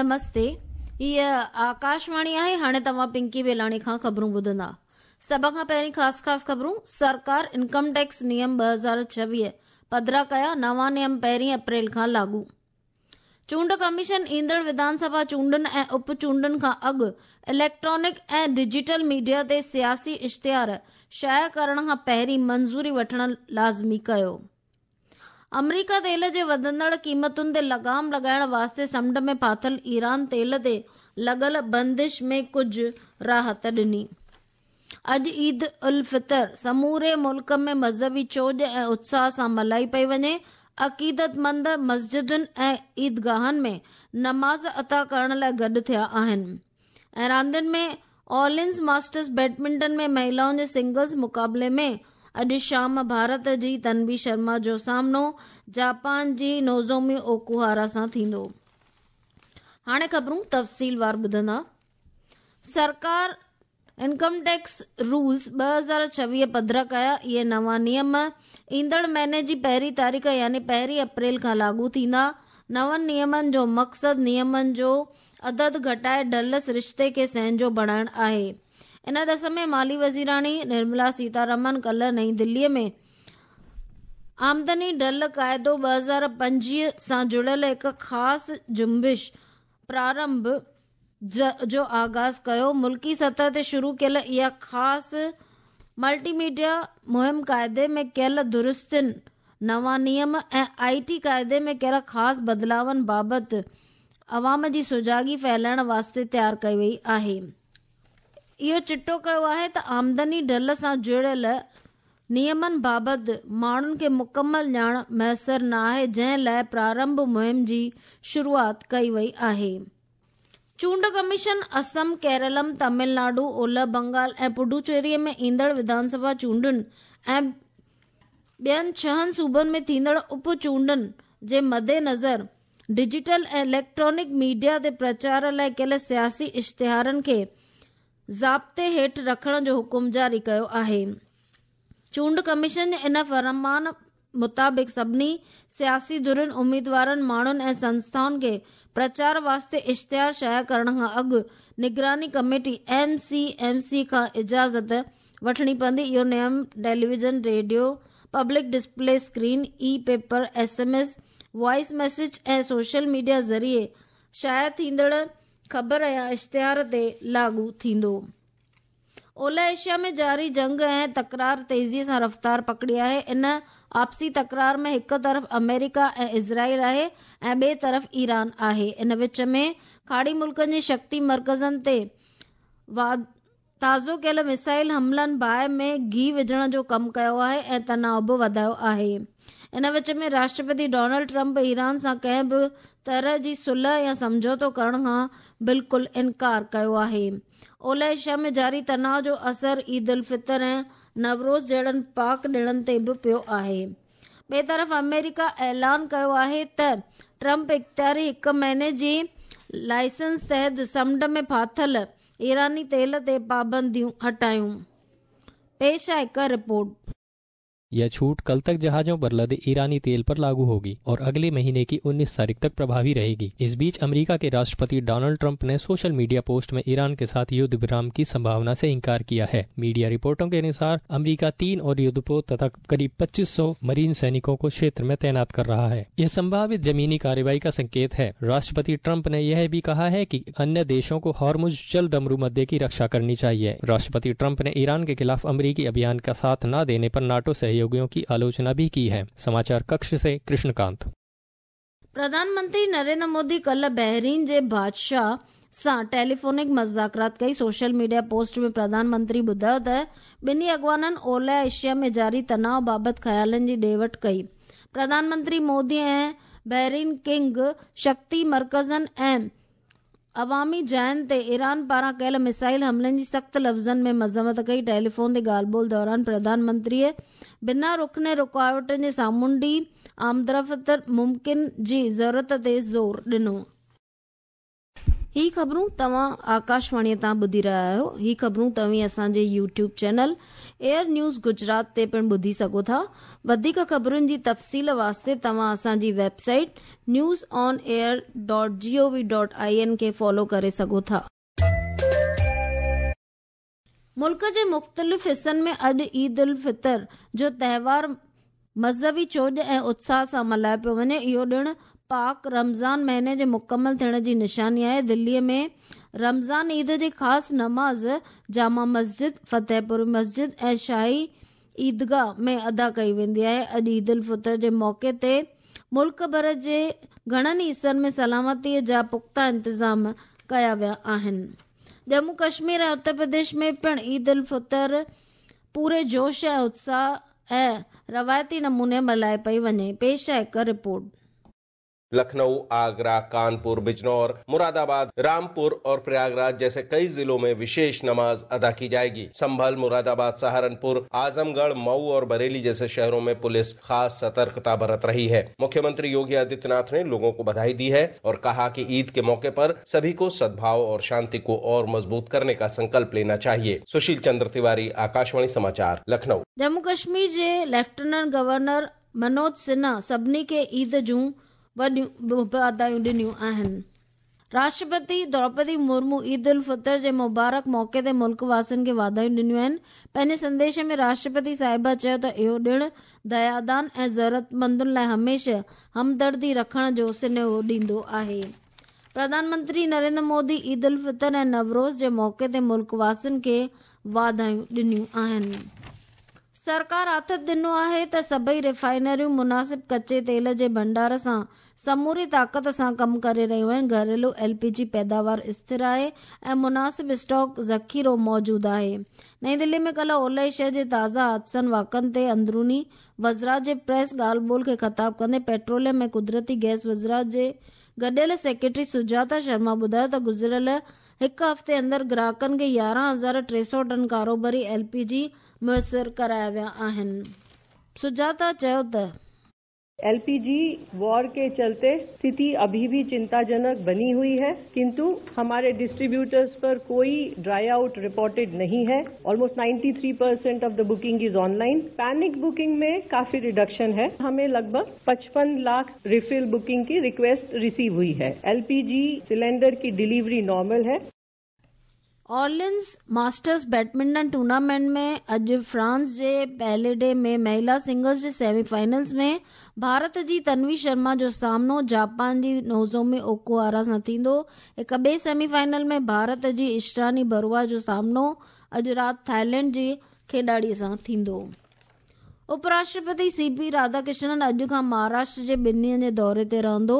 نمستي هيء آڪاشواڻي آهي هاڻي توهان پنڪي ويلاڻي کان خبرون ٻڌندا سڀ کان پهرين خاص خاص خبرون سرڪار انڪم ٽيڪس نيم 2026 پڌرا ڪيا نوان نيم پهرين اپريل کان لاڳو چونڊ ڪميشن ايندڙ وڌان سڀا چونڊن ۽ اپ چونڊن کان اڳ اليڪٽرانڪ ۽ ڊجيٽل ميڊيا تي سياسي اشتهار شايع ڪرڻ کان پهرين منظوري وٺڻ لازمي ڪيو آمريڪا تيل جي وڌندڙ قيمتن تي لگام لڳائڻ واسطي سمنڊ ۾ ڦاٿل ايران تيل تي لڳل بندش ۾ ڪجهه راحت ڏني. اڄ عيد الفطر سموري ملڪ ۾ مذهبي چوڄ ۽ اتساهه سان ملهائي پئي وڃي، عقيدتمند مسجدن ۽ عيدگاهن ۾ نماز ادا ڪرڻ لاء گڏ ٿيا آهن. ۽ راندين ۾ آل انڊز ماسٽرز بيڊمنٽن ۾ مهلائن جي سنگلز مقابلي ۾ اڄ شام ڀارت جي تنوي شرما جو سامنو جاپان جي نوزومي اوڪوهارا سان ٿيندو. هاڻي خبرون تفصيلوار ٻڌندا. سرڪار انڪم ٽيڪس رولز 2026 پڌرا ڪيا، اهي نوان نيم ايندڙ مهيني جي پهرين تاريخ يعني پهرين اپريل کان لاڳو ٿيندا. نون نيمن جو مقصد نيمن جو عدد گهٽائي ڍل سرشتي کي سهنجو بڻائڻ آهي. ان ڏس ۾ مالي وزيراڻي نرملا سيتارمن ڪلهه نئين دلي ۾ آمدني ڍل قاعدو 2025 سان جڙيل هڪ خاص جنبش پرارنڀ جو آغاز ڪيو. ملڪي سطح تي شروع ڪيل اها خاص ملٽي ميڊيا مهم قاعدي ۾ ڪيل درستين، نوان نيم ۽ آء ٽي قاعدي ۾ ڪيل خاص بدلاون بابت عوام جي سجاڳي ڦهلائڻ واسطي تيار ڪئي وئي آهي. اهو چٽو ڪيو آهي ته آمدني ڍل سان جڙيل نيمن بابت ماڻهن کي مڪمل ڄاڻ ميسر نه آهي جنهن لاء پرارنڀ مهم جي شروعات ڪئي وئي آهي. چونڊ ڪميشن اسم، ڪيرلم، تامل ناڊو، اولهه بنگال ۽ پڊوچيري ۾ ايندڙ وڌانسڀا چونڊن ۽ ٻين ڇهن صوبن ۾ ٿيندڙ اپ چونڊن جي مدنظر ڊجيٽل ۽ اليڪٽرانڪ ميڊيا تي پرچار لاء ڪيل سياسي اشتهارن کي ضابطي هيٺ رکڻ جو حڪم جاري ڪيو آهي. چونڊ ڪميشن جي ان فرمان مطابق سڀني سياسي ڌرين، اميدوارن، ماڻهن ۽ سنسٿائن کي پرچار واسطي اشتهار شايع ڪرڻ کان اڳ نگراني committee, M C M C, کان اجازت وٺڻي پوندي. اهو نيم television, radio, public display screen, e paper, S M S, voice message ۽ social media ذريعي شايع ٿيندڙ خبر يا اشتهار تي لاڳو ٿيندو. اولهه ايشيا ۾ جاري جنگ ۽ تڪرار تيزي سان رفتار پڪڙي آهي. ان آپسي تڪرار ۾ هڪ طرف آمريڪا ۽ اسرائيل آهي ۽ ٻئي طرف ايران آهي. ان وچ ۾ کاڙي ملڪن جي شڪتي مرڪزن تي تازو ڪيل ميسائل حملن باهه ۾ گيهه وجهڻ جو ڪم ڪيو آهي ۽ تناء به وڌايو آهي. ان وچ ۾ راشٽرپتي ڊونلڊ ٽرمپ ايران سان ڪنهن به طرح جي صلح يا سمجهوتو ڪرڻ کان بلڪل انڪار ڪيو آهي. اولهه ايشيا ۾ جاري تناء جو اثر عيد الفطر ۽ نوروز جهڙن پاڪ ڏڻن تي به پيو آهي. ٻئي طرف آمريڪا اعلان ڪيو آهي ته ٽرمپ اختياري هڪ مهيني جي لائسنس تحت سمنڊ ۾ ڦاٿل ايراني تيل تي پابنديون هٽايون. پيش آهي هڪ رپورٽ. यह छूट कल तक जहाजों पर लदे ईरानी तेल पर लागू होगी और अगले महीने की 19 तारीख तक प्रभावी रहेगी। इस बीच अमेरिका के राष्ट्रपति डोनाल्ड ट्रंप ने सोशल मीडिया पोस्ट में ईरान के साथ युद्ध विराम की संभावना से इनकार किया है। मीडिया रिपोर्टों के अनुसार अमेरिका 3 और युद्धपोत तथा करीब 2500 मरीन सैनिकों को क्षेत्र में तैनात कर रहा है। यह संभावित जमीनी कार्रवाई का संकेत है। राष्ट्रपति ट्रंप ने यह भी कहा है कि अन्य देशों को हॉर्मुज जल डमरू मध्य की रक्षा करनी चाहिए। राष्ट्रपति ट्रंप ने ईरान के खिलाफ अमेरिकी अभियान का साथ न देने पर नाटो सहयोगियों की आलोचना भी की है। समाचार कक्ष से कृष्णकांत। प्रधानमंत्री नरेंद्र मोदी कल्ह बहरीन जे बादशाह सां टेलीफोनिक मुज़ाकरात कई। सोशल मीडिया पोस्ट में प्रधानमंत्री ॿुधायो त ॿिन्ही अॻवाननि ओलह एशिया में जारी तनाव बाबति ख़्यालनि जी ॾे वठ कई। प्रधानमंत्री मोदी ऐं बहरीन किंग शक्ति मर्कज़नि ऐं अवामी जाइनि ते ईरान पारां कयल मिसाइल हमलनि जी सख़्त लफ़्ज़नि में मज़म्मत कई। टेलीफोन ते ॻाल्हि ॿोल दौरान प्रधानमंत्रीअ बिना रुकने रुकावटनि जे सामुंडी आमदरफ़्त मुमकिन जी ज़रूरत ते ज़ोर ॾिनो। هي خبرون توهان آڪاشواڻيء تان ٻڌي رهيا آهيو. هي خبرون توهين اسان جي YouTube channel AIR news Gujarat تي پڻ ٻڌي سگهو ٿا. وڌيڪ خبرن جي تفصيل واسطي توهان اسان جي website news on air dot G O V dot I N کي فالو ڪري سگهو ٿا. ملڪ جي مختلف حصن ۾ اڄ عيد الفطر جو تهوار مذهبي چوڄ ۽ اتساهه سان ملهايو پيو وڃي. اهو ڏڻ پاڪ رمضان مهيني جي مڪمل ٿيڻ جي نشاني آهي. دلي ۾ رمضان عيد جي خاص نماز جامع مسجد، فتح پور مسجد ۽ شاهي عيدگاهه ۾ ادا ڪئي ويندي آهي. اڄ عيد الفطر جي موقعي تي ملڪ ڀر جي گهڻن حصن ۾ سلامتي جا پختا انتظام ڪيا ويا آهن. ڄمون ڪشمير ۽ اتر پرديش ۾ پڻ عيد الفطر پوري جوش ۽ اتساهه ۽ روايتي نموني ملهائي پئي وڃي. پيش آهي هڪ رپورٽ. लखनऊ, आगरा, कानपुर, बिजनौर, मुरादाबाद, रामपुर और प्रयागराज जैसे कई जिलों में विशेष नमाज अदा की जाएगी। संभल, मुरादाबाद, सहारनपुर, आजमगढ़, मऊ और बरेली जैसे शहरों में पुलिस खास सतर्कता बरत रही है। मुख्यमंत्री योगी आदित्यनाथ ने लोगों को बधाई दी है और कहा कि ईद के मौके पर सभी को सद्भाव और शांति को और मजबूत करने का संकल्प लेना चाहिए। सुशील चंद्र तिवारी, आकाशवाणी समाचार, लखनऊ। ڄمون ڪشمير جي ليفٽيننٽ گورنر منوج سنها سڀني کي عيد جون وڏيون واڌايون ڏنيون آهن. راشٽرپتي دروپدي مرمو عيد الفطر جي مبارڪ موقعي تي ملڪ واسين کي واڌايون ڏنيون آهن. پنهنجي سنديش ۾ راشٽرپتي صاحبه چيو ته اهو ڏڻ ديادان ۽ ضرورتمندن لاء هميشه همدردي رکڻ جو سنيهو ڏيندو آهي. پرڌان منتري نريندر مودي عيد الفطر ۽ نوروز جي موقعي تي ملڪ واسين کي واڌايون ڏنيون آهن. سرڪار آٿت ڏنو آهي ته سڀئي ريفائنريون مناسب ڪچي تيل جي ڀنڊار سان سموري طاقت سان ڪم ڪري رهيون آهن، گهريلو ايل پي جي پيداوار اسٿر آهي ۽ مناسب اسٽاڪ ذخيرو موجود آهي. نئين دلي ۾ ڪلهه اولهه ايشيا جي تازا حادثن واقعن تي اندروني وزارت جي پريس ڳالهه ٻولهه کي خطاب ڪندي پيٽروليم ۽ قدرتي گئس وزارت جي گڏيل سيڪريٽري سجاتا شرما ٻڌايو ته گذريل هڪ هفتي اندر گراهڪن کي 11,300 ٽن ڪاروباري ايل پي جي ميسر ڪرايا ويا آهن. سجاتا چيو ته. एल पी जी वॉर के चलते स्थिति अभी भी चिंताजनक बनी हुई है, किंतु हमारे डिस्ट्रीब्यूटर्स पर कोई ड्राई आउट रिपोर्टेड नहीं है। Almost 93% of the booking is online. Panic booking में काफी रिडक्शन है। हमें लगभग 55 लाख रिफिल बुकिंग की रिक्वेस्ट रिसीव हुई है। एलपीजी सिलेंडर की डिलीवरी नॉर्मल है। ऑर्लियंस ماسٽرز بيڊمنٽن ٽورنامينٽ ۾ اڄ فرانس جي پيليڊي ۾ مهلا سنگلز جي سيمي فائنلز ۾ ڀارت جي تنوي شرما جو سامنو جاپان جي نوزومي اوڪوهارا سان ٿيندو. هڪ ٻئي سيمي فائنل ۾ ڀارت جي اشراني بروا جو سامنو اڄ رات ٿائيلينڊ جي کيڏاڙي سان ٿيندو. اپراشٽرپتي سي پي راڌاڪرشنن اڄ کان مهاراشٽر جي ٻن ڏينهن جي دوري تي رهندو.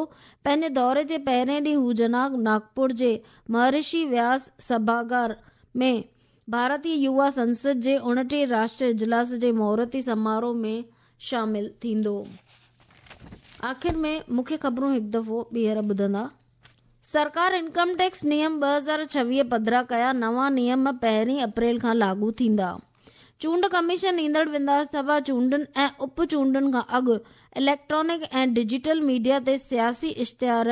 پنهنجي دوري جي پهرين ڏينهن هو جناگ ناگپور جي مهرشي وياس سڀاگار ۾ ڀارتي يووا سنسد جي 29 راشٽريه اجلاس جي مهورتي سماروهه ۾ شامل ٿيندو. آخر ۾ مکيه خبرون هڪ دفعو ٻيهر ٻڌندا. سرڪار انڪم ٽيڪس نيم 2026 پڌرا ڪيا، نوان نيم پهرين اپريل کان لاڳو ٿيندا. چونڊ ڪميشن ايندڙ وڌان سڀا چونڊن ۽ اپ چونڊن کان اڳ اليڪٽرانڪ ۽ ڊجيٽل ميڊيا تي سياسي اشتهار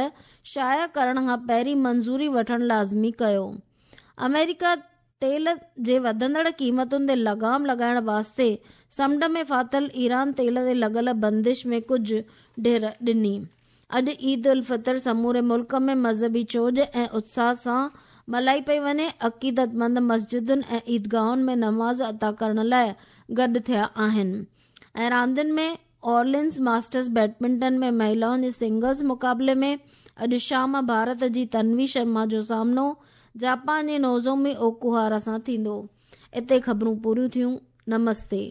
شايع ڪرڻ کان پهرين منظوري وٺڻ لازمي ڪيو. آمريڪا تيل جي وڌندڙ قيمتن تي لغام لڳائڻ واسطي سمنڊ ۾ ڦاٿل ايران تيل تي لڳل بندش ۾ ڪجهه ڍر ڏني. اڄ عيد الفطر سموري ملڪ ۾ مذهبي چوڄ ۽ اتساهه سان ملهائي پئي وڃي، عقيدتمند مسجدن ۽ عيدگاهن ۾ نماز ادا ڪرڻ لاء گڏ ٿيا آهن ۽ راندين ۾ اورلينز ماسٽرز بيڊمنٽن ۾ مهلائن جي سنگلز مقابلي ۾ اڄ شام ڀارت جي تنوي شرما جو سامنو جاپان جي نوزومي اوڪوهارا سان ٿيندو. اتي خبرون پوريون ٿيون. نمستي.